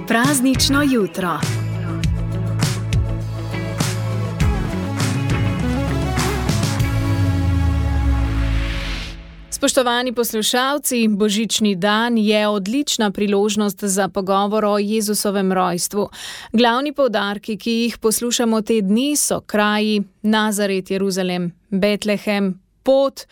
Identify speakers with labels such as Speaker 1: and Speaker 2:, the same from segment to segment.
Speaker 1: Praznično jutro. Spoštovani poslušalci, božični dan je odlična priložnost za pogovor o Jezusovem rojstvu. Glavni poudarki, ki jih poslušamo te dni, so kraji Nazaret, Jeruzalem, Betlehem, pot,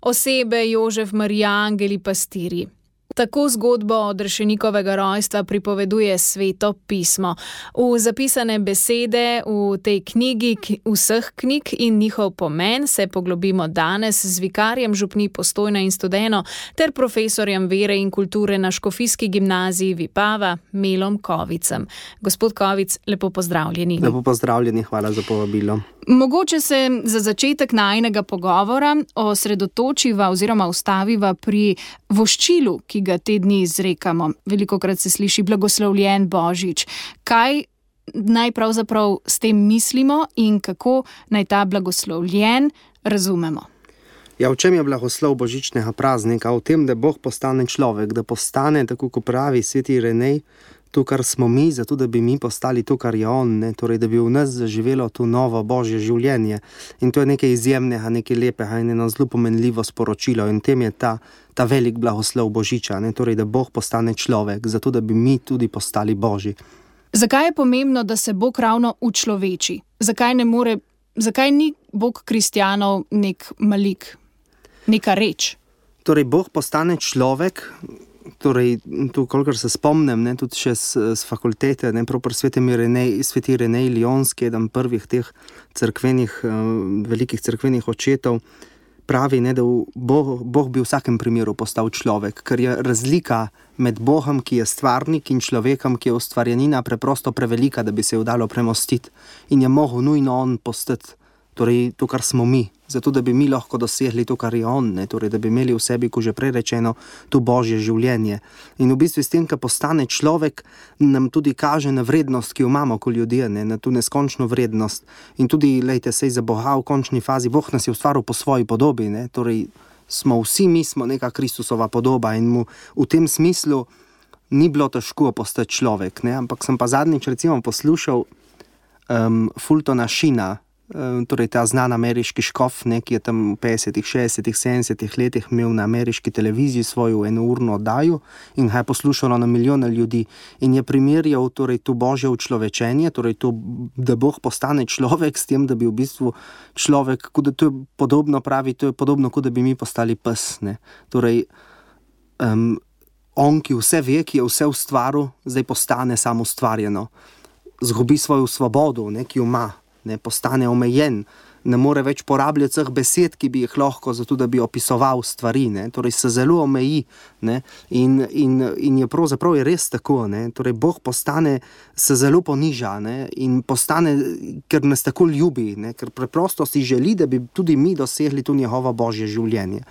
Speaker 1: osebe Jožef, Marija, angeli, pastirji. Tako zgodbo odrešenikovega rojstva pripoveduje Sveto pismo. V zapisane besede v tej knjigi, vseh knjig in njihov pomen se poglobimo danes z vikarjem župnij Postojna in Studeno ter profesorjem vere in kulture na Škofijski gimnaziji Vipava, Melom Kovicem. Gospod Kovic, lepo pozdravljeni.
Speaker 2: Lepo pozdravljeni, hvala za povabilo.
Speaker 1: Mogoče se za začetek najinega pogovora osredotočiva oziroma ustaviva pri voščilu, ki ga te dni izrekamo. Velikokrat se sliši blagoslovljen Božič. Kaj naj pravzaprav s tem mislimo in kako naj ta blagoslovljen razumemo?
Speaker 2: Ja, v čem je blagoslov božičnega praznika? V tem, da Bog postane človek, da postane, tako kot pravi sveti Irenej, to, kar smo mi, zato da bi mi postali to, kar je on, ne? Torej, da bi v nas zaživelo to novo božje življenje. In to je nekaj izjemnega, nekaj lepega in eno zelo pomenljivo sporočilo. In tem je ta velik blagoslov Božiča, ne? Torej, da Bog postane človek, zato da bi mi tudi postali božji.
Speaker 1: Zakaj je pomembno, da se Bog ravno učloveči? Zakaj ni Bog kristjanov nek malik, neka reč?
Speaker 2: Torej, Bog postane človek. Torej, tu, kolikor se spomnim, ne, tudi še z fakultete, ne, prav pri sveti Irenej Lionski, eden prvih teh velikih cerkvenih očetov, pravi, ne, da Bog bi v vsakem primeru postal človek, ker je razlika med Bogom, ki je stvarnik, in človekom, ki je ustvarjenina, preprosto prevelika, da bi se jo dalo premostiti. In je mogel nujno on postati, torej to, kar smo mi, zato da bi mi lahko dosegli to, kar je on, ne? Torej, da bi imeli v sebi, ko že prej rečeno, to božje življenje. In v bistvu s tem, ko postane človek, nam tudi kaže na vrednost, ki jo imamo kot ljudje, ne? Na to neskončno vrednost. In tudi, lejte, sej za Boga v končni fazi, Bog nas je ustvaril po svoji podobi, ne? Torej, mi smo neka Kristusova podoba in mu v tem smislu ni bilo težko postati človek, ne? Ampak sem pa zadnjič recimo poslušal Fultona Sheena, torej ta znan ameriški škof, ne, ki je tam v 50., 60., 70. letih imel na ameriški televiziji svojo enourno oddajo in ga je poslušalo na milijone ljudi in je primerjal torej to božje učlovečenje, torej to, da Bog postane človek s tem, da bi v bistvu človek, kot da to je podobno, pravi, to je podobno, kot da bi mi postali pes, ne. Torej, on, ki vse ve, ki je vse ustvaril, zdaj postane samo ustvarjeno. Zgubi svojo svobodo, ne, ki jo ima. Ne, postane omejen, ne more več porabljati vseh besed, ki bi jih lahko, zato da bi opisoval stvari, ne, torej se zelo omeji, ne, in je pravzaprav je res tako, ne, torej Bog postane, se zelo poniža, ne, in postane, ker nas tako ljubi, ne, ker preprosto si želi, da bi tudi mi dosegli to njegovo božje življenje.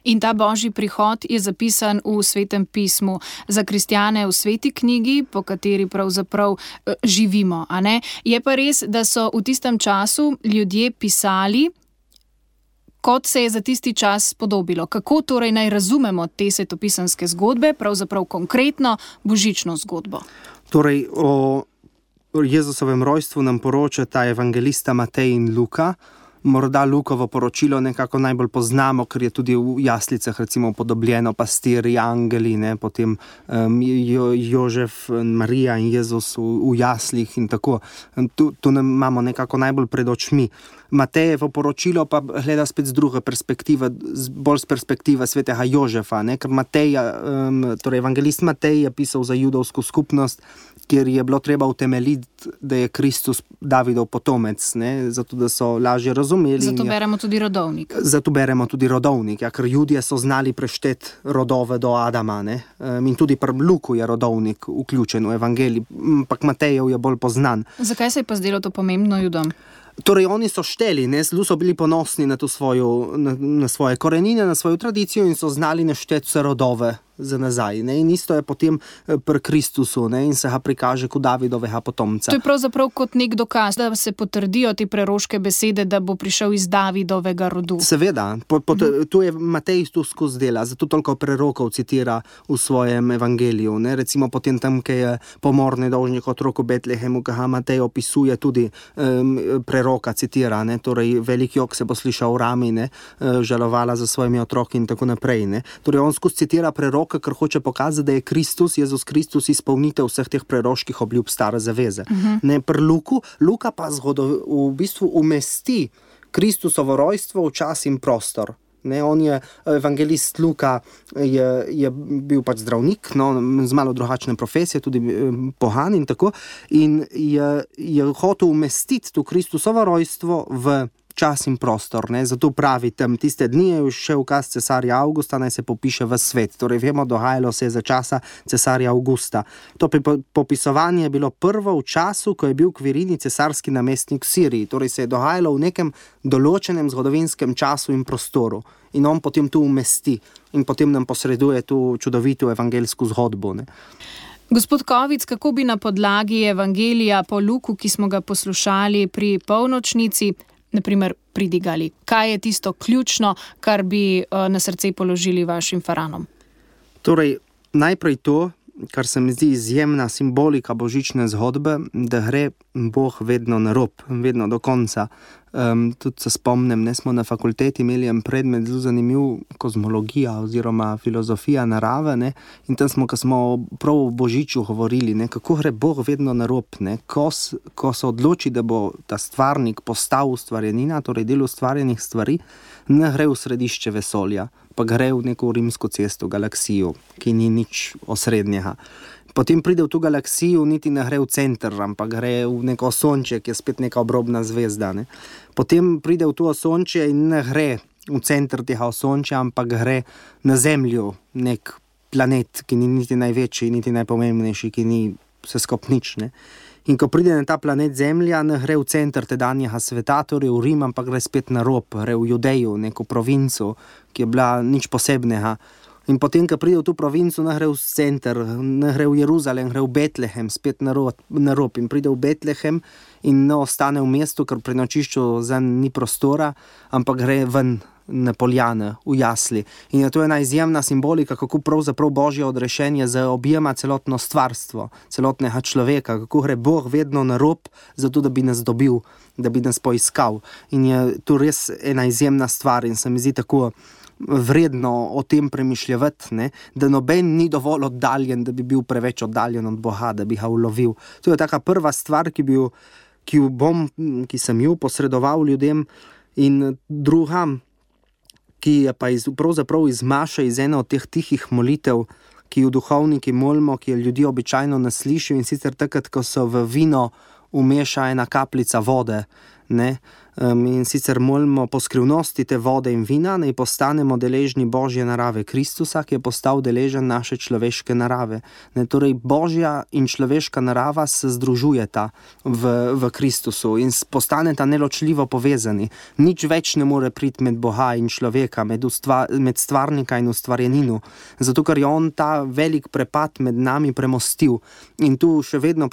Speaker 1: In ta božji prihod je zapisan v Svetem pismu za kristjane v sveti knjigi, po kateri pravzaprav živimo, a ne? Je pa res, da so v tistem času ljudje pisali, kot se je za tisti čas podobilo. Kako torej naj razumemo te svetopisanske zgodbe, pravzaprav konkretno božično zgodbo?
Speaker 2: Torej, o Jezusovem rojstvu nam poročata evangelista Matej in Luka. Morda Lukovo poročilo nekako najbolj poznamo, ker je tudi v jaslicah recimo podobljeno pastirji, angeli, ne, potem Jožef, Marija in Jezus v jaslih in tako. Tu imamo nekako najbolj pred očmi. Matejevo poročilo pa gleda spet z druge perspektive, bolj z perspektive svetega Jožefa, ne, ker torej evangelist Matej je pisal za judovsko skupnost, kjer je bilo treba utemeljiti, da je Kristus Davidov potomec, ne, zato da so lažje razumeli.
Speaker 1: Zato beremo tudi rodovnik.
Speaker 2: Zato beremo tudi rodovnik, ja, ker Judje so znali prešteti rodove do Adama, ne, in tudi pri Luku je rodovnik vključen v evangelij, ampak Matejev je bolj poznan.
Speaker 1: Zakaj se je pa zdelo to pomembno Judom?
Speaker 2: Torej, oni so šteli, ne, zelo so bili ponosni na svoje korenine, na svojo tradicijo in so znali našteti vse rodove za nazaj. Ne? In isto je potem pri Kristusu, ne? In se ga prikaže kot Davidovega potomca.
Speaker 1: To je pravzaprav kot nek dokaz, da se potrdijo te preroške besede, da bo prišel iz Davidovega rodu.
Speaker 2: Seveda, tu je Matej tu skozi dela, zato toliko prerokov citira v svojem evangeliju. Ne? Recimo potem tam, ki je pomor nedolžnih otrok v Betlehemu, ki ga Matej opisuje, tudi preroka citira, ne? Torej velik jok se bo slišal v rami, ne? Žalovala za svojimi otroki in tako naprej. Ne? Torej on skozi citira preroka, ker hoče pokazati, da je Kristus, Jezus Kristus, izpolnitev vseh teh preroških obljub stare zaveze. Ne, pri Luka pa v bistvu umesti Kristusovo rojstvo v čas in prostor. Ne, on je, evangelist Luka je bil pač zdravnik, no, z malo drugačne profesije, tudi pohan in tako, in je hotel umestiti to Kristusovo rojstvo v čas in prostor, ne? Zato pravi tam, tiste dni je še ukaz cesarja Avgusta, naj se popiše v svet. Torej vemo, dogajalo se je za časa cesarja Avgusta. To popisovanje je bilo prvo v času, ko je bil Kvirini cesarski namestnik v Siriji. Torej se je dogajalo v nekem določenem zgodovinskem času in prostoru. In on potem tu umesti in potem nam posreduje tu čudovito evangeljsko zgodbo, ne?
Speaker 1: Gospod Kovic, kako bi na podlagi evangelija po Luku, ki smo ga poslušali pri polnočnici, naprimer pridigali? Kaj je tisto ključno, kar bi na srce položili vašim faranom?
Speaker 2: Torej, najprej to, kar se mi zdi izjemna simbolika božične zgodbe, da gre Bog vedno na rob, vedno do konca. Tudi se spomnim, ne, smo na fakulteti imeli en predmet zelo zanimiv, kozmologija oziroma filozofija narave, ne, in tam smo, ko smo prav o Božiču govorili, ne, kako gre Bog vedno na rob, ne, ko se odloči, da bo ta stvarnik postal ustvarjenina, torej del ustvarjenih stvari, ne gre v središče vesolja, pa gre v neko rimsko cesto, galaksijo, ki ni nič osrednjega. Potem pride v to galaksijo, niti ne gre v center, ampak gre v neko osončje, ki je spet neka obrobna zvezda. Ne? Potem pride v to osončje in ne gre v center tega osončja, ampak gre na Zemljo, nek planet, ki ni niti največji, niti najpomembnejši, ki ni vse skupaj nič. Ne? In ko pride na ta planet Zemlja, ne gre v center tedanjega sveta, torej v Rim, ampak gre spet na rob, gre v Judejo, neko provinco, ki je bila nič posebnega. In potem, ko pride v to provinco, ne gre v center, ne gre v Jeruzalem, gre v Betlehem, spet na rob. In pride v Betlehem in ne ostane v mestu, ker pri nočišču zanj ni prostora, ampak gre ven na poljane, v jasli. In je to ena izjemna simbolika, kako pravzaprav Božje odrešenje zaobjema celotno stvarstvo, celotnega človeka, kako gre Bog vedno na rob, zato da bi nas dobil, da bi nas poiskal. In je to res ena izjemna stvar in se mi zdi tako vredno o tem premišljati, ne? Da noben ni dovolj oddaljen, da bi bil preveč oddaljen od Boga, da bi ga ulovil. To je taka prva stvar, ki sem jo posredoval ljudem, in druga, ki je pa pravzaprav izmaša iz ene od teh tihih molitev, ki jo duhovniki molimo, ki jo ljudi običajno ne slišijo, in sicer takrat, ko so v vino umeša ena kapljica vode, ne? In sicer molimo po skrivnosti te vode in vina, naj postanemo deležni Božje narave Kristusa, ki je postal deležen naše človeške narave. Ne, torej Božja in človeška narava se združujeta v Kristusu in postaneta neločljivo povezani. Nič več ne more priti med Boga in človeka, med stvarnika in ustvarjenino, zato ker je on ta velik prepad med nami premostil. In tu še vedno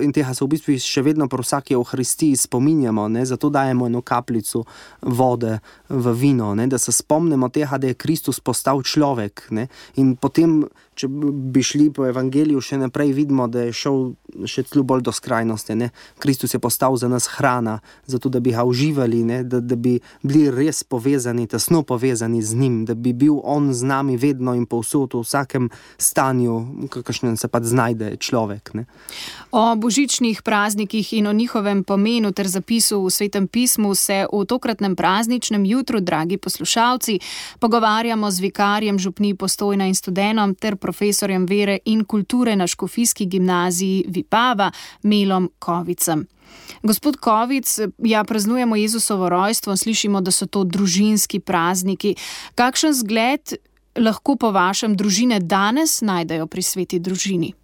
Speaker 2: in tega se v bistvu še vedno pri vsaki Euharistiji spominjamo, ne, zato dajemo eno kapljico vode v vino, ne, da se spomnimo tega, da je Kristus postal človek, ne, in potem, če bi šli po evangeliju še naprej, vidimo, da je šel še celo bolj do skrajnosti, ne. Kristus je postal za nas hrana, zato da bi ga uživali, ne, da bi bili res povezani, tesno povezani z njim, da bi bil on z nami vedno in povsod, v vsakem stanju, kakšnem se pa znajde človek, ne.
Speaker 1: O božičnih praznikih in o njihovem pomenu ter zapisu v Svetem pismu se v tokratnem prazničnem jutru, dragi poslušalci, pogovarjamo z vikarjem župnij Postojna in Studenom ter profesorjem vere in kulture na Škofijski gimnaziji Vipava, Melom Kovicem. Gospod Kovic, praznujemo Jezusovo rojstvo, slišimo, da so to družinski prazniki. Kakšen zgled lahko po vašem družine danes najdejo pri sveti družini?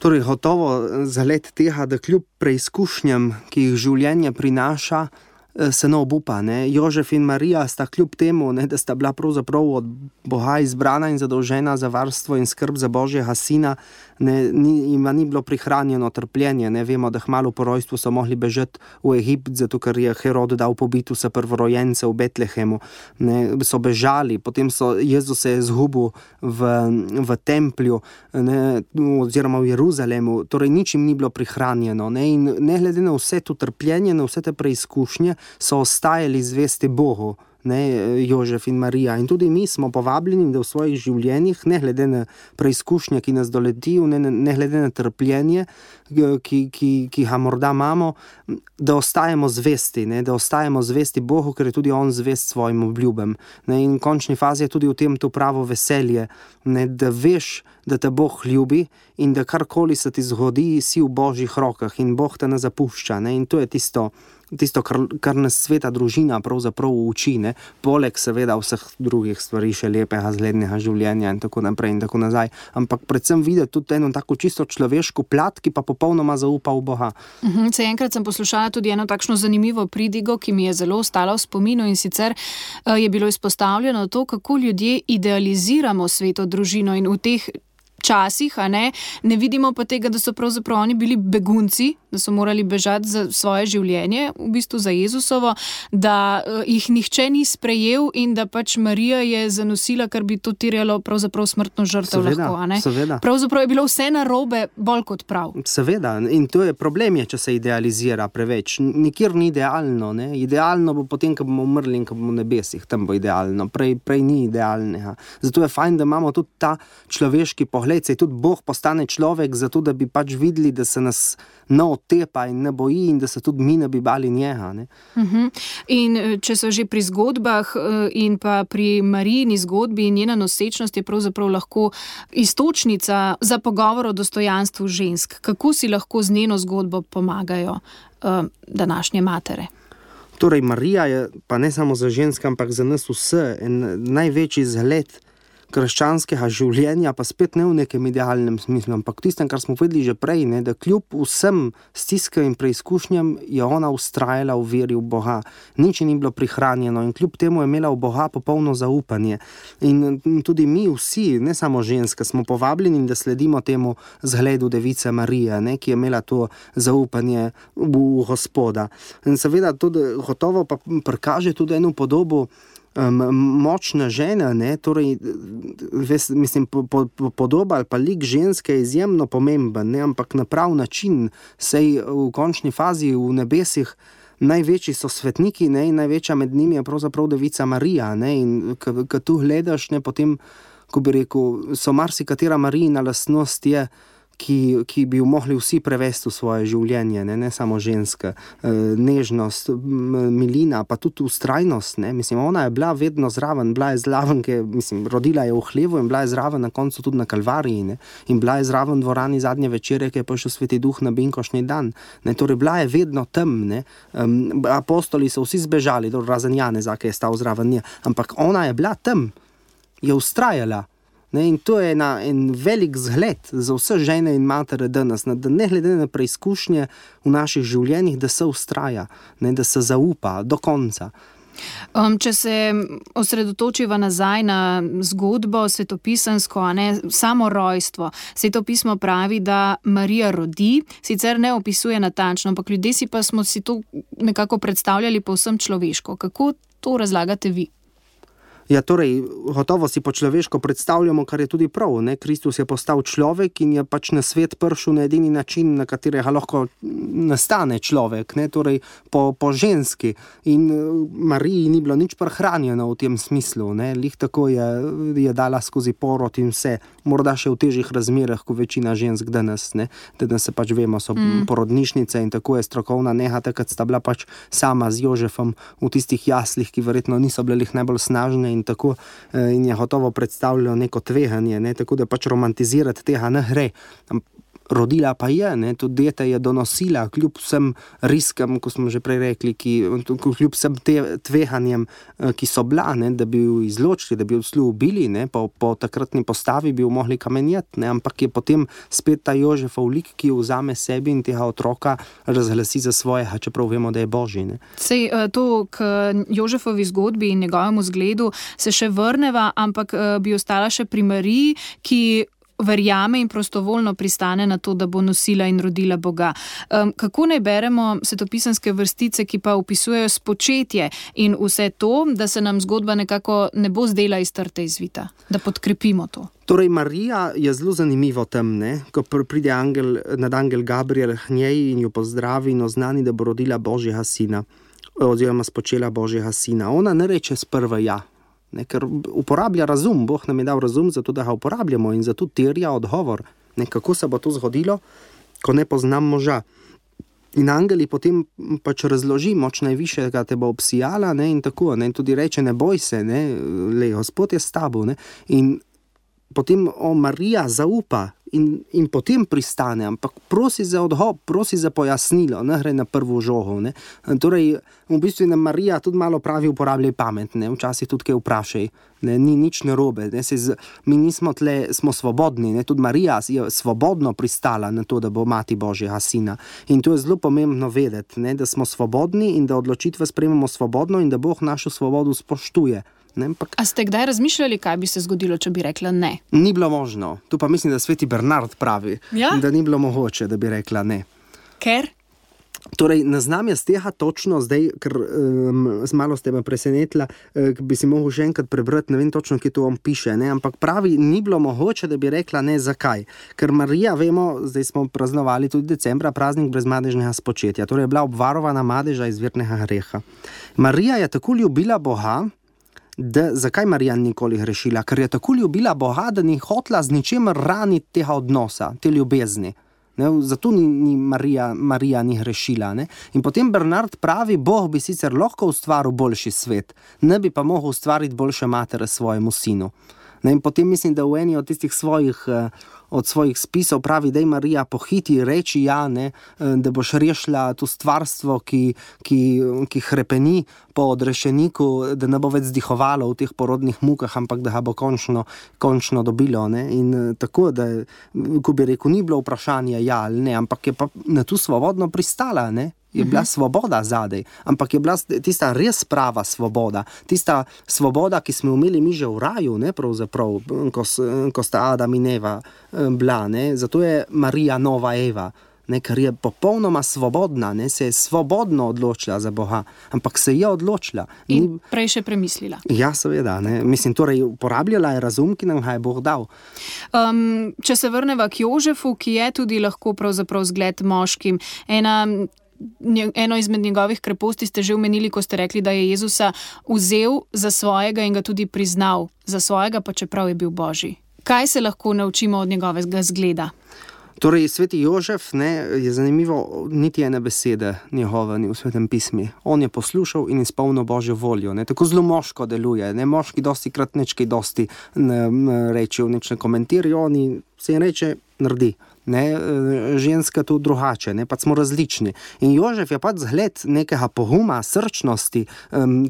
Speaker 2: Torej, gotovo zalet tega, da kljub preizkušnjam, ki jih življenje prinaša, se ne obupa. Ne. Jožef in Marija sta kljub temu, ne, da sta bila pravzaprav od Boga izbrana in zadolžena za varstvo in skrb za Božjega sina, ima ni bilo prihranjeno trpljenje. Ne. Vemo, da kmalu po rojstvu so mogli bežati v Egipt, zato ker je Herod dal pobiti vse prvorojence v Betlehemu. Ne. So bežali, potem Jezus se je izgubil v templju, ne, oziroma v Jeruzalemu, torej nič jim ni bilo prihranjeno. Ne. In ne glede na vse to trpljenje, na vse te preizkušnje, so ostajali zvesti Bogu, ne, Jožef in Marija. In tudi mi smo povabljeni, da v svojih življenjih, ne glede na preizkušnje, ki nas doletijo, ne glede na trpljenje, ki ga morda imamo, da ostajamo zvesti, ne, da ostajamo zvesti Bogu, ker je tudi on zvest svojim obljubam. Ne, in v končni fazi je tudi v tem to pravo veselje, ne, da veš, da te Bog ljubi in da karkoli se ti zgodi, si v Božjih rokah in Bog te ne zapušča. Ne, in to je tisto, kar nas sveta družina pravzaprav uči, ne? Poleg seveda vseh drugih stvari, še lepega, zglednega življenja in tako naprej in tako nazaj. Ampak predvsem videti tudi eno tako čisto človeško plat, ki pa popolnoma zaupa v Boga.
Speaker 1: Enkrat sem poslušala tudi eno takšno zanimivo pridigo, ki mi je zelo ostala v spominu, in sicer je bilo izpostavljeno to, kako ljudje idealiziramo sveto družino, in v teh časih, ne vidimo pa tega, da so pravzaprav oni bili begunci, da so morali bežati za svoje življenje, v bistvu za Jezusovo, da jih nihče ni sprejel in da pač Marija je zanosila, kar bi to terjalo pravzaprav smrtno žrtev.
Speaker 2: Seveda.
Speaker 1: Pravzaprav je bilo vse narobe, bolj kot prav.
Speaker 2: Seveda, in to je problem, če se idealizira preveč. Nikjer ni idealno, ne? Idealno bo potem, ko bomo umrli in ko bomo v nebesih, tam bo idealno, prej ni idealnega. Zato je fajn, da imamo tudi ta človeški pogled, se tudi Bog postane človek, zato da bi pač videli, da se nas ne otepa in ne boji in da se tudi mi ne bi bali njega. Ne?
Speaker 1: In če so že pri zgodbah in pa pri Marijini zgodbi, njena nosečnost je pravzaprav lahko iztočnica za pogovor o dostojanstvu žensk. Kako si lahko z njeno zgodbo pomagajo današnje matere?
Speaker 2: Torej, Marija je pa ne samo za ženske, ampak za nas vse en največji zgled krščanskega življenja, pa spet ne v nekem idealnem smislu, ampak tistem, kar smo vedeli že prej, ne, da kljub vsem stiskam in preizkušnjam je ona ustrajala v veri v Boga. Nič ni bilo prihranjeno in kljub temu je imela v Boga popolno zaupanje. In tudi mi vsi, ne samo ženske, smo povabljeni, da sledimo temu zgledu device Marije, ne, ki je imela to zaupanje v Gospoda. In seveda tudi gotovo pa prikaže tudi eno podobo močna žena, ne, torej, mislim, podoba ali pa lik ženske je izjemno pomemben, ne, ampak na prav način, sej v končni fazi v nebesih največji so svetniki, ne, in največja med njimi je pravzaprav devica Marija, ne, in ko tu gledaš, ne, potem, ko bi rekel, so marsikatera Marijina lastnost je, ki bi jo mogli vsi prevesti v svoje življenje, ne samo ženske. Nežnost, milina, pa tudi ustrajnost. Ne? Mislim, ona je bila vedno zraven, bila je zraven, rodila je v hlevu in bila je zraven na koncu tudi na Kalvariji. Ne? In bila je zraven v dvorani zadnje večere, ki je prišel Sveti Duh na binkošnji dan. Ne? Torej, bila je vedno tam. Ne? Apostoli so vsi zbežali, razen Janeza, ki je stal zraven nje. Ampak ona je bila tam, je ustrajala. Ne, in to je en velik zgled za vse žene in matere danes, da ne glede na preizkušnje v naših življenjih, da se ustraja, ne, da se zaupa do konca.
Speaker 1: Če se osredotočiva nazaj na zgodbo svetopisansko, samo rojstvo. Svetopismo pravi, da Marija rodi, sicer ne opisuje natančno, ampak ljudje si pa smo si to nekako predstavljali povsem človeško. Kako to razlagate vi?
Speaker 2: Ja, torej, gotovo si po človeško predstavljamo, kar je tudi prav. Ne? Kristus je postal človek in je pač na svet prišel na edini način, na katerega lahko nastane človek, ne? Torej po ženski. In Mariji ni bilo nič prehranjeno v tem smislu. Ne? Lih tako je dala skozi porod in vse. Morda še v težjih razmerah, kot večina žensk danes. Ne? Danes se pač vemo, so porodnišnice in tako je strokovna nega, takrat sta bila pač sama z Jožefom v tistih jaslih, ki verjetno niso bile najbolj snažne in tako, in je gotovo predstavljalo neko tveganje, ne, tako da pač romantizirati tega ne gre. rodila pa je, ne, tudi dete je donosila, kljub vsem riskom, ko smo že prej rekli, kljub vsem tvehanjem, ki so bila, ne, da bi jo izločili, da bi jo celo ubili, ne, po takratni postavi bi jo mogli kamenjati, ne, ampak je potem spet ta Jožefov lik, ki jo vzame sebi in tega otroka razglasi za svojega, čeprav vemo, da je Božji. Ne.
Speaker 1: Sej to k Jožefovi zgodbi in njegovemu zgledu se še vrneva, ampak bi ostala še pri Mariji, ki verjame in prostovoljno pristane na to, da bo nosila in rodila Boga. Kako naj beremo svetopisanske vrstice, ki pa opisujejo spočetje in vse to, da se nam zgodba nekako ne bo zdela iz trte izvita, da podkrepimo to?
Speaker 2: Torej, Marija je zelo zanimivo tam, ne? Ko pride nadangel Gabriel k njej in jo pozdravi in oznani, da bo rodila Božjega sina, oziroma spočela Božjega sina. Ona ne reče sprva ja, ne, ker uporablja razum, Bog nam je dal razum, zato da ga uporabljamo in zato terja odgovor. Ne, kako se bo to zgodilo, ko ne poznam moža. In angeli potem pač razloži, moč najvišjega te bo obsijala, ne, in tako, ne, in tudi reče, ne boj se, ne, Gospod je s tabo, ne, in potem Marija zaupa in potem pristane, ampak prosi za odhod, prosi za pojasnilo, ne gre na prvo žogo. Ne. Torej, v bistvu nam Marija tudi malo pravi, uporabljaj pamet, ne, včasih tudi kaj vprašaj, ne, ni nič narobe, ne, mi nismo tle, smo svobodni, ne, tudi Marija je svobodno pristala na to, da bo mati Božjega sina. In to je zelo pomembno vedeti, ne, da smo svobodni in da odločitve sprejmemo svobodno in da Bog našo svobodo spoštuje. Ne,
Speaker 1: a ste kdaj razmišljali, kaj bi se zgodilo, če bi rekla ne?
Speaker 2: Ni bilo možno. Tu pa mislim, da sveti Bernard pravi, ja? Da ni bilo mogoče, da bi rekla ne.
Speaker 1: Ker?
Speaker 2: Torej, ne znam jaz tega točno zdaj, ker malo ste me presenetila, bi si mogel še enkrat prebrati, ne vem točno, kje to on piše, ne, ampak pravi, ni bilo mogoče, da bi rekla ne, zakaj. Ker Marija, vemo, zdaj smo praznovali tudi decembra, praznik brezmadežnega spočetja, torej je bila obvarovana madeža izvirnega greha. Marija je tako ljubila Boga, zakaj Marija nikoli grešila? Ker je tako ljubila Boga, da ni hotela z ničemer raniti tega odnosa, te ljubezni. Ne? Zato ni Marija ni grešila. Ne? In potem Bernard pravi, Bog bi sicer lahko ustvaril boljši svet, ne bi pa mogel ustvariti boljše matere svojemu sinu. Ne? In potem mislim, da v eni od tistih svojih spisov pravi, da je Marija pohiti reči ja, ne, da boš rešila to stvarstvo, ki hrepeni po odrešeniku, da ne bo več zdihovalo v teh porodnih mukah, ampak da ga bo končno dobilo. Ne. In tako, da, ko bi rekel, ni bilo vprašanje ja ali ne, ampak je pa na to svobodno pristala, ne. Je bila svoboda zadej, ampak je bila tista res prava svoboda, tista svoboda, ki smo imeli mi že v raju, ne, pravzaprav, ko sta Adam in Eva bila, ne, zato je Marija nova Eva, ne, ker je popolnoma svobodna, ne, se je svobodno odločila za Boga, ampak se je odločila.
Speaker 1: In prej še premislila.
Speaker 2: Ja, seveda, ne, mislim, torej uporabljala je razum, ki nam ga je Bog dal.
Speaker 1: Če se vrneva k Jožefu, ki je tudi lahko pravzaprav zgled moškim, eno izmed njegovih kreposti ste že omenili, ko ste rekli, da je Jezusa vzel za svojega in ga tudi priznal za svojega, pa čeprav je bil Božji. Kaj se lahko naučimo od njegovega zgleda?
Speaker 2: Torej, sveti Jožef, ne, je zanimivo, niti ene besede njegove ni v svetem pismi. On je poslušal in izpolnil Božjo voljo. Ne, tako zelo moško deluje. Ne, moški dosti krat nečkaj dosti reče, nič ne komentirajo, oni se jim reče, naredi. Ne, ženska tu drugače, ne, pač smo različni. In Jožef je pač zgled nekega poguma, srčnosti,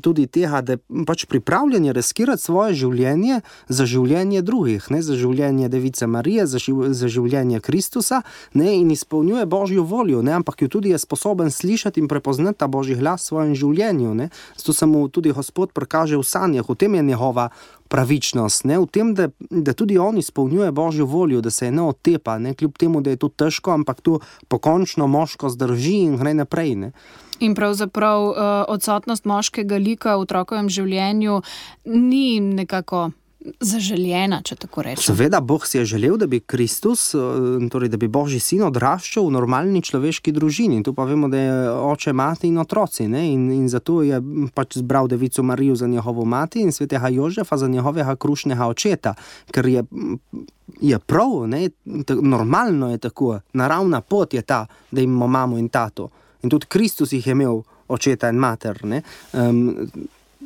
Speaker 2: tudi tega, da je pač pripravljen riskirati svoje življenje za življenje drugih, ne, za življenje Device Marije, za življenje Kristusa, ne, in izpolnjuje Božjo voljo, ne, ampak jo tudi je sposoben slišati in prepoznati ta Božji glas v svojem življenju. Ne. Zato se mu tudi Gospod prikaže v sanjah, v tem je njegova pravičnost, ne, v tem, da tudi on izpolnjuje Božjo voljo, da se je ne otepa, ne, kljub temu, da je to težko, ampak to pokončno moško zdrži in gre naprej. Ne.
Speaker 1: In pravzaprav odsotnost moškega lika v otrokovem življenju ni nekako zaželjena, če tako rečem.
Speaker 2: Seveda, Bog si je želel, da bi Kristus, torej da bi Božji sin odraščal v normalni človeški družini. Tu pa vemo, da je oče, mati in otroci, ne? In zato je pač zbral Devico Marijo za njegovo mati in svetega Jožefa za njegovega krušnega očeta, ker je prav, ne? Normalno je tako, naravna pot je ta, da imamo mamo in tato. In tudi Kristus jih je imel očeta in mater, ne?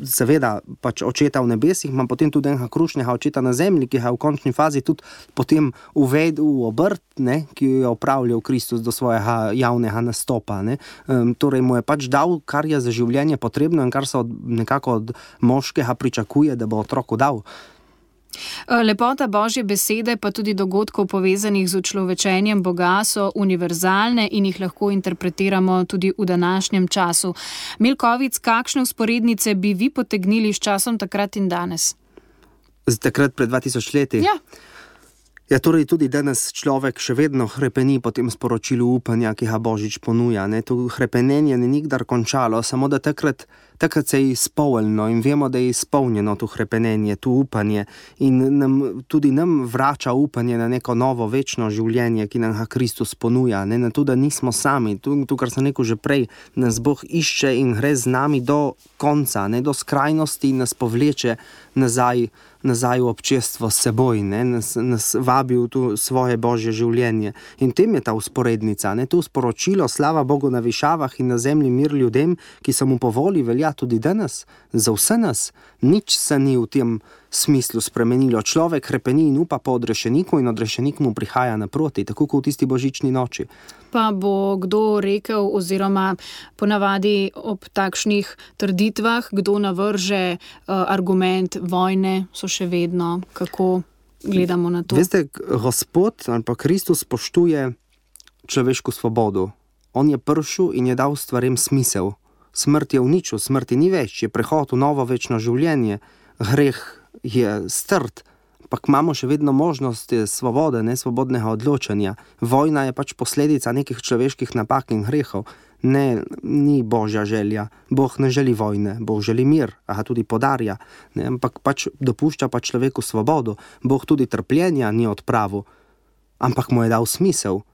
Speaker 2: seveda pač očeta v nebesih, ima potem tudi enega krušnega očeta na zemlji, ki ga v končni fazi tudi potem uvedel v obrt, ne, ki jo je opravljal Kristus do svojega javnega nastopa. Ne. Torej mu je pač dal, kar je za življenje potrebno in kar se nekako od moškega pričakuje, da bo otroku dal.
Speaker 1: Lepota Božje besede pa tudi dogodkov povezanih z učlovečenjem Boga so univerzalne in jih lahko interpretiramo tudi v današnjem času. Milkovic, kakšne vzporednice bi vi potegnili s časom takrat in danes?
Speaker 2: Takrat pred 2000 leti?
Speaker 1: Ja.
Speaker 2: Ja, torej tudi danes človek še vedno hrepeni po tem sporočilu upanja, ki ga Božič ponuja. Ne? To hrepenenje ni nikdar končalo, samo da takrat se je izpolnilo in vemo, da je izpolnjeno to hrepenenje, to upanje in tudi nam vrača upanje na neko novo večno življenje, ki nam ga Kristus ponuja. Ne? Na to, da nismo sami, to, kar sem rekel že prej, nas Bog išče in gre z nami do konca, ne? Do skrajnosti in nas povleče nazaj v občestvo s seboj, ne? Nas vabi v to svoje Božje življenje. In tem je ta vzporednica, ne? To sporočilo, slava Bogu na višavah in na zemlji mir ljudem, ki se mu po voli velja tudi danes, za vse nas. Nič se ni v tem smislu spremenilo. Človek hrepeni in upa po odrešeniku in odrešenik mu prihaja naproti, tako kot v tisti božični noči.
Speaker 1: Pa bo kdo rekel, oziroma ponavadi ob takšnih trditvah, kdo navrže argument vojne, so še vedno, kako gledamo na to?
Speaker 2: Veste, Gospod ali pa Kristus spoštuje človeško svobodo. On je prišel in je dal stvarem smisel. Smrt je uničil, smrti ni več, je prehod v novo večno življenje, greh je strt, ampak imamo še vedno možnost svobode, svobodnega odločanja. Vojna je pač posledica nekih človeških napak in grehov. Ne, ni Božja želja. Bog ne želi vojne, Bog želi mir, a ga tudi podarja, ne, ampak pač dopušča pa človeku svobodo. Bog tudi trpljenja ni odpravil, ampak mu je dal smisel.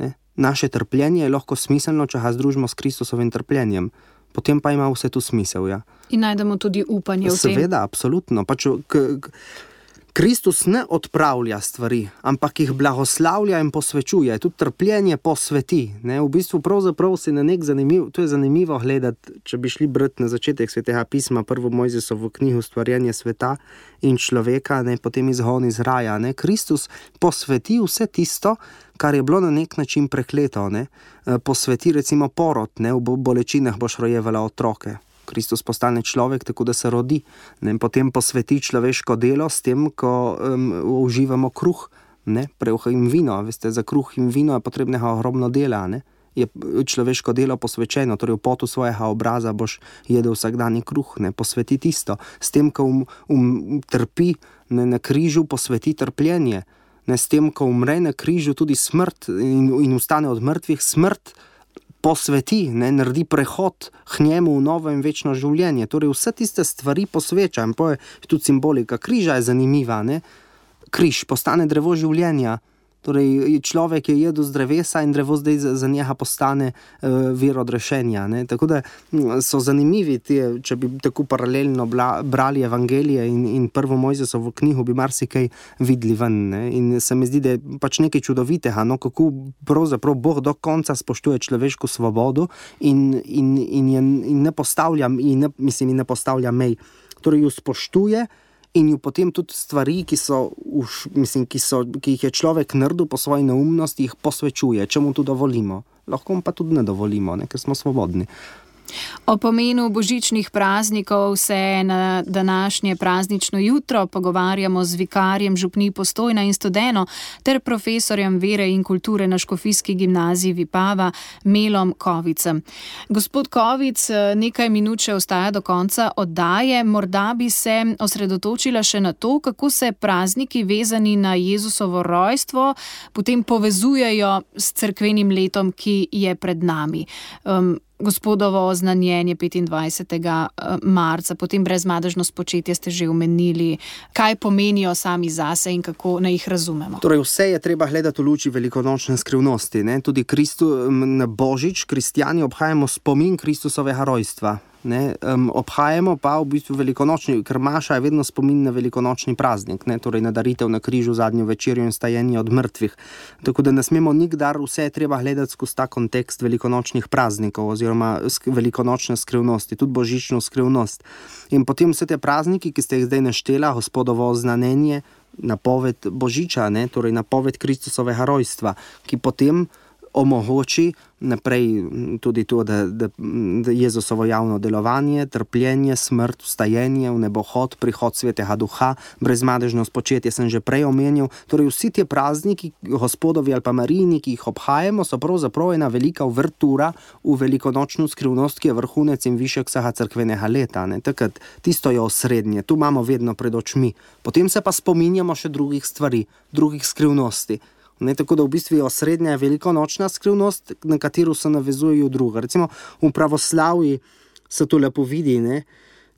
Speaker 2: Ne. Naše trpljenje je lahko smiselno, če ga združimo s Kristusovim trpljenjem. Potem pa ima vse tu smisel, ja.
Speaker 1: In najdemo tudi upanje v tem.
Speaker 2: Seveda, absolutno. Pač Kristus ne odpravlja stvari, ampak jih blagoslavlja in posvečuje. Tudi trpljenje posveti. Ne? V bistvu pravzaprav si na nek to je zanimivo gledati, če bi šli brati na začetek Svetega pisma, prvo Mojzesovo knjigo Stvarjenje sveta in človeka, ne? Potem izgon iz raja. Ne? Kristus posveti vse tisto, kar je bilo na nek način prekleto. Ne? Posveti recimo porod, ne? V bolečinah boš rojevala otroke. Kristus postane človek, tako da se rodi. Ne? Potem posveti človeško delo s tem, ko uživamo kruh, ne? Preuh in vino. Veste, za kruh in vino je potrebnega ogromno dela. Ne? Je človeško delo posvečeno, torej v potu svojega obraza boš jedel vsakdanji kruh, ne? Posveti tisto. S tem, ko trpi, ne? Na križu posveti trpljenje. Ne? S tem, ko umre na križu tudi smrt in ustane od mrtvih, smrt posveti, ne, naredi prehod k njemu v novo in večno življenje. Torej vse tiste stvari posveča. In tudi simbolika križa je zanimiva. Ne. Križ postane drevo življenja. Torej človek je jedel z drevesa in drevo zdaj za njega postane vir odrešenja. Ne. Tako da so zanimivi če bi tako paralelno brali Evangelije in prvo Mojzesovo knjigo, bi marsikaj videli ven. Ne. In se mi zdi, da je pač nekaj čudovitega, no, kako pravzaprav Bog do konca spoštuje človeško svobodo in ne postavlja mej. Torej jo spoštuje in ju potem tudi stvari, ki jih je človek naredil po svoji neumnosti, jih posvečuje, če mu to dovolimo. Lahko pa tudi ne dovolimo, ne, ker smo svobodni.
Speaker 1: O pomenu božičnih praznikov se na današnje praznično jutro pogovarjamo z vikarjem župnij Postojna in Studeno ter profesorjem vere in kulture na Škofijski gimnaziji Vipava Melom Kovicem. Gospod Kovic, nekaj minut še ostaja do konca oddaje. Morda bi se osredotočila še na to, kako se prazniki vezani na Jezusovo rojstvo potem povezujejo s cerkvenim letom, ki je pred nami. Gospodovo oznanjenje 25. marca, potem brezmadežno spočetje ste že omenili. Kaj pomenijo sami zase in kako naj jih razumemo?
Speaker 2: Torej vse je treba gledati v luči velikonočne skrivnosti. Ne? Tudi na Božič kristjani obhajamo spomin Kristusovega rojstva. Ne? Obhajamo pa v bistvu velikonočni, ker maša je vedno spomin na velikonočni praznik, ne? Torej na daritev na križu, zadnjo večerjo in stajenje od mrtvih. Tako da ne smemo nikdar vse treba gledati skozi ta kontekst velikonočnih praznikov oziroma velikonočne skrivnosti, tudi božično skrivnost. In potem vse te prazniki, ki ste jih zdaj naštela, Gospodovo oznanenje, napoved Božiča, ne? Torej napoved Kristusovega rojstva, ki potem omogoči naprej tudi to, da Jezusovo javno delovanje, trpljenje, smrt, vstajenje, v nebohod, prihod Svetega Duha, brezmadežno spočetje sem že prej omenil. Torej vsi ti prazniki, Gospodovi ali pa Marijini, ki jih obhajamo, so pravzaprav ena velika uvertura v velikonočno skrivnost, ki je vrhunec in višek vsega cerkvenega leta. Ne? Takrat tisto je osrednje, tu imamo vedno pred očmi. Potem se pa spominjamo še drugih stvari, drugih skrivnosti. Ne, tako da v bistvu je osrednja velikonočna skrivnost, na katero se navezujejo druga. Recimo v pravoslavji se to lepo vidi, ne?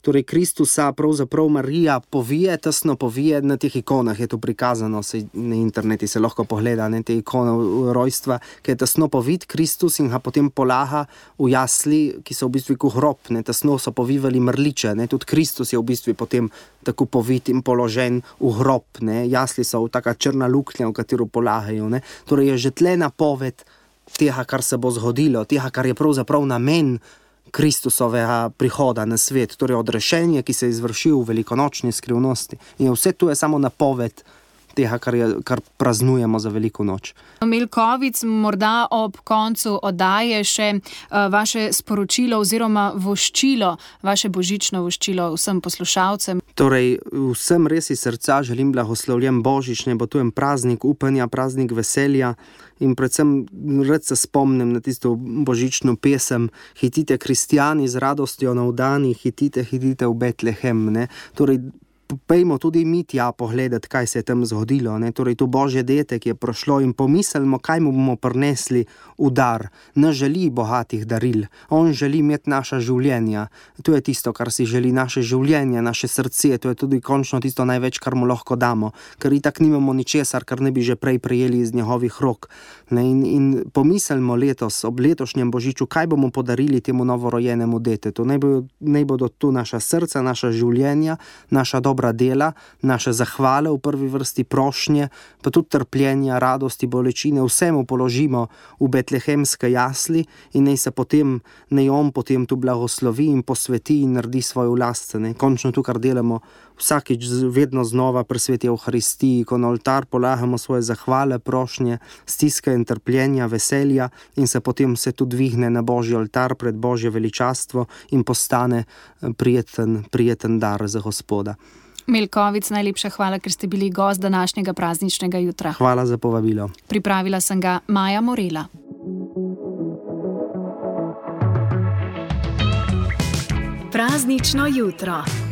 Speaker 2: Torej Kristusa pravzaprav Marija povije, tesno povije, na teh ikonah je to prikazano, na interneti se lahko pogleda, ne, te ikone rojstva, ki je tesno povit Kristus in ga potem polaha v jasli, ki so v bistvu kot hrob, ne, tesno so povivali mrliče, ne, tudi Kristus je v bistvu potem tako povit in položen v hrob, ne, jasli so v taka črna luknja, v katero polahajo, ne, torej je že tle napoved tega, kar se bo zgodilo, tega, kar je pravzaprav namen Kristusovega prihoda na svet, torej odrešenje, ki se je izvršil v velikonočni skrivnosti. In vse to je samo napoved tega, kar praznujemo za veliko noč.
Speaker 1: Milkovic, morda ob koncu oddaje še vaše sporočilo oziroma voščilo, vaše božično voščilo vsem poslušalcem.
Speaker 2: Torej, vsem res iz srca želim blagoslovljen božič, naj bo to en praznik upanja, praznik veselja in predvsem rad se spomnim na tisto božično pesem Hitite kristjani z radostjo navdani, hitite v Betlehem, ne? Torej, pejmo tudi mi tja pogledati, kaj se je tam zgodilo, ne? Torej to Božje dete, ki je prošlo, in pomislimo, kaj mu bomo prinesli v dar. Ne želi bogatih daril, on želi imeti naša življenja. To je tisto, kar si želi, naše življenje, naše srce, to je tudi končno tisto največ, kar mu lahko damo, ker itak nimamo ničesar, kar ne bi že prej prejeli iz njegovih rok. Ne? In pomislimo letos, ob letošnjem božiču, kaj bomo podarili temu novorojenemu detetu. Naj bodo tu naša srca, naša življenja, naša dobra dela, naše zahvale, v prvi vrsti prošnje, pa tudi trpljenja, radosti, bolečine, vsemu položimo v betlehemske jasli in naj on potem tu blagoslovi in posveti in naredi svojo last. Končno tu, kar delamo vsakič vedno znova pri sveti Evharistiji, ko na oltar polagamo svoje zahvale, prošnje, stiske in trpljenja, veselja in se potem se tu dvigne na Božji oltar pred Božje veličastvo in postane prijeten dar za Gospoda.
Speaker 1: Milkovic, najlepša hvala, ker ste bili gost današnjega prazničnega jutra.
Speaker 2: Hvala za povabilo.
Speaker 1: Pripravila sem ga Maja Morela. Praznično jutro.